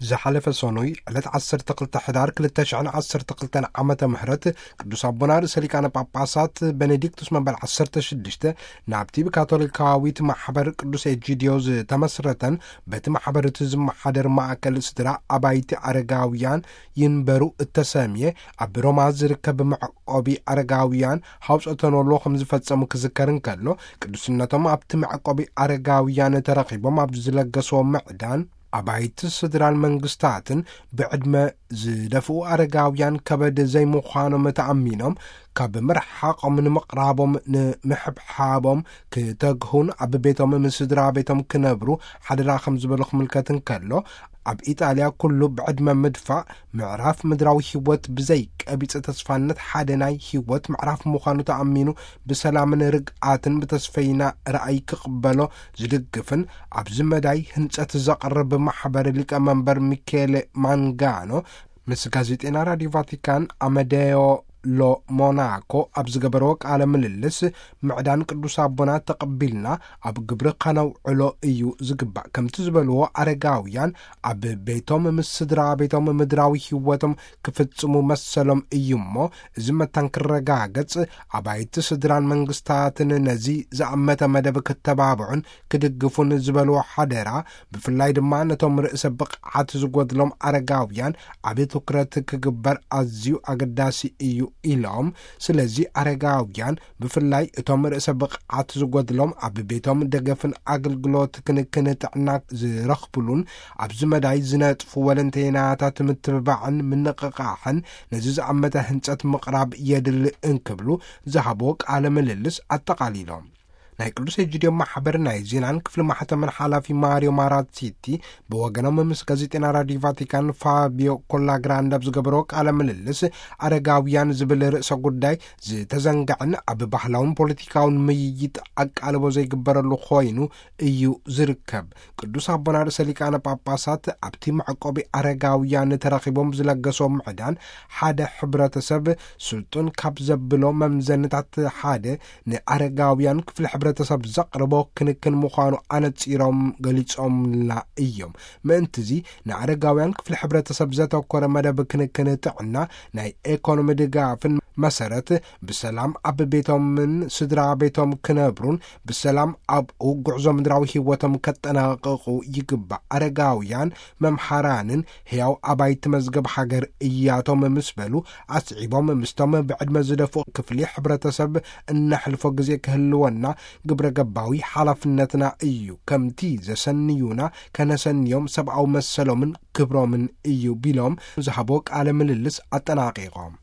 ዝሓለፈ ሰኑይ ዕለት ዓሰርተ ክልተ ሕዳር ክልተ ሽሕን ዓሰርተ ክልተን ዓመተ ምህረት ቅዱስ ኣቦና ርእሰ ሊቃነ ጳጳሳት ቤኔዲክቱስ መበል ዓሰርተ ሽዱሽተ ናብቲ ብካቶሊካዊት ማሕበር ቅዱስ ኤጂድዮ ዝተመስረተን በቲ ማሕበር እቲ ዝመሓደር ማእከል ስድራ ኣባይቲ ኣረጋውያን ይንበሩ እተሰምየ ኣብ ሮማ ዝርከብ መዕቆቢ ኣረጋውያን ሃውፀተኖሎ ከም ዝፈጸሙ ክዝከር እንከሎ፣ ቅዱስነቶም ኣብቲ መዕቆቢ ኣረጋውያን ተረኺቦም ኣብ ዝለገስዎ ምዕዳን ኣባይቲ ስድራን መንግስታትን ብዕድመ ዝደፍኡ ኣረጋውያን ከበድ ዘይምዃኖም ተኣሚኖም ካብ ምርሓቖም ንምቕራቦም ንምሕብሓቦም ክተግሁን ኣብ ቤቶም ምስ ስድራ ቤቶም ክነብሩ ሓደራ ከም ዝበሉ ክምልከት እንከሎ፣ ኣብ ኢጣልያ ኩሉ ብዕድመ ምድፋእ ምዕራፍ ምድራዊ ህይወት ብዘይ ቀቢጸ ተስፋነት ሓደ ናይ ህይወት ምዕራፍ ምዃኑ ተኣሚኑ ብሰላምን ርግኣትን ብተስፈይና ራእይ ክቕበሎ ዝድግፍን ኣብዚ መዳይ ህንጸት ዘቕርብ ማሕበር ሊቀመንበር ሚኬሌ ማንጋኖ ምስ ጋዜጤና ራዲዮ ቫቲካን ኣመደዮ ሎ ሞናኮ ኣብ ዝገበረዎ ቃለ ምልልስ፣ ምዕዳን ቅዱስ ኣቦና ተቐቢልና ኣብ ግብሪ ከነውዕሎ እዩ ዝግባእ። ከምቲ ዝበልዎ፣ ኣረጋውያን ኣብ ቤቶም ምስ ስድራ ቤቶም ምድራዊ ህይወቶም ክፍጽሙ መሰሎም እዩ እሞ፣ እዚ መታን ክረጋገጽ ኣባይቲ ስድራን መንግስታትን ነዚ ዝኣመተ መደብ ክተባብዑን ክድግፉን ዝበልዎ ሓደራ፣ ብፍላይ ድማ ነቶም ርእሰ ብቕዓት ዝጎድሎም ኣረጋውያን ዓቢ ትኩረት ክግበር ኣዝዩ ኣገዳሲ እዩ ኢሎም። ስለዚ ኣረጋውያን ብፍላይ እቶም ርእሰ ብቕዓት ዝጎድሎም ኣብ ቤቶም ደገፍን ኣገልግሎት ክንክን ጥዕና ዝረኽብሉን ኣብዚ መዳይ ዝነጥፉ ወለንተይናታት ምትብባዕን ምንቕቓሕን ነዚ ዝኣመተ ህንጸት ምቕራብ የድሊ እንክብሉ ዝሃብዎ ቃለ ምልልስ ኣጠቓሊሎም። ናይ ቅዱስ ኤጂድዮ ማሕበር ናይ ዜናን ክፍሊ ማሕተምን ሓላፊ ማሪዮ ማራሲቲ ብወገኖም ምስ ጋዜጠና ራዲዮ ቫቲካን ፋቢዮ ኮላግራንድ ኣብ ዝገበሮ ቃለ ምልልስ፣ ኣረጋውያን ዝብል ርእሰ ጉዳይ ዝተዘንግዐን ኣብ ባህላውን ፖለቲካውን ምይይጥ ኣቃልቦ ዘይግበረሉ ኮይኑ እዩ ዝርከብ። ቅዱስ ኣቦና ርእሰ ሊቃነ ጳጳሳት ኣብቲ መዕቆቢ ኣረጋውያን ተረኺቦም ዝለገሶም ምዕዳን፣ ሓደ ሕብረተሰብ ስልጡን ካብ ዘብሎ መምዘንታት ሓደ ንኣረጋውያን ክፍሊ ሕብረተሰብ ዘቕርቦ ክንክን ምዃኑ ኣነጺሮም ገሊጾምልና እዮም። ምእንትዚ ንኣረጋውያን ክፍሊ ሕብረተሰብ ዘተኮረ መደብ ክንክን ጥዕና፣ ናይ ኤኮኖሚ ድጋፍን መሰረት ብሰላም ኣብ ቤቶምን ስድራ ቤቶም ክነብሩን ብሰላም ኣብኡ ጉዕዞ ምድራዊ ህይወቶም ከጠናቕቑ ይግባእ። ኣረጋውያን መምሃራንን ሕያው ኣባይቲ መዝገብ ሃገር እያቶም ምስ በሉ፣ ኣስዒቦም ምስቶም ብዕድመ ዝደፍኡ ክፍሊ ሕብረተሰብ እነሕልፎ ግዜ ክህልወና ግብረ ገባዊ ሓላፍነትና እዩ። ከምቲ ዘሰንዩና ከነሰንዮም ሰብኣዊ መሰሎምን ክብሮምን እዩ ቢሎም ዝሃቦ ቃለ ምልልስ ኣጠናቒቖም።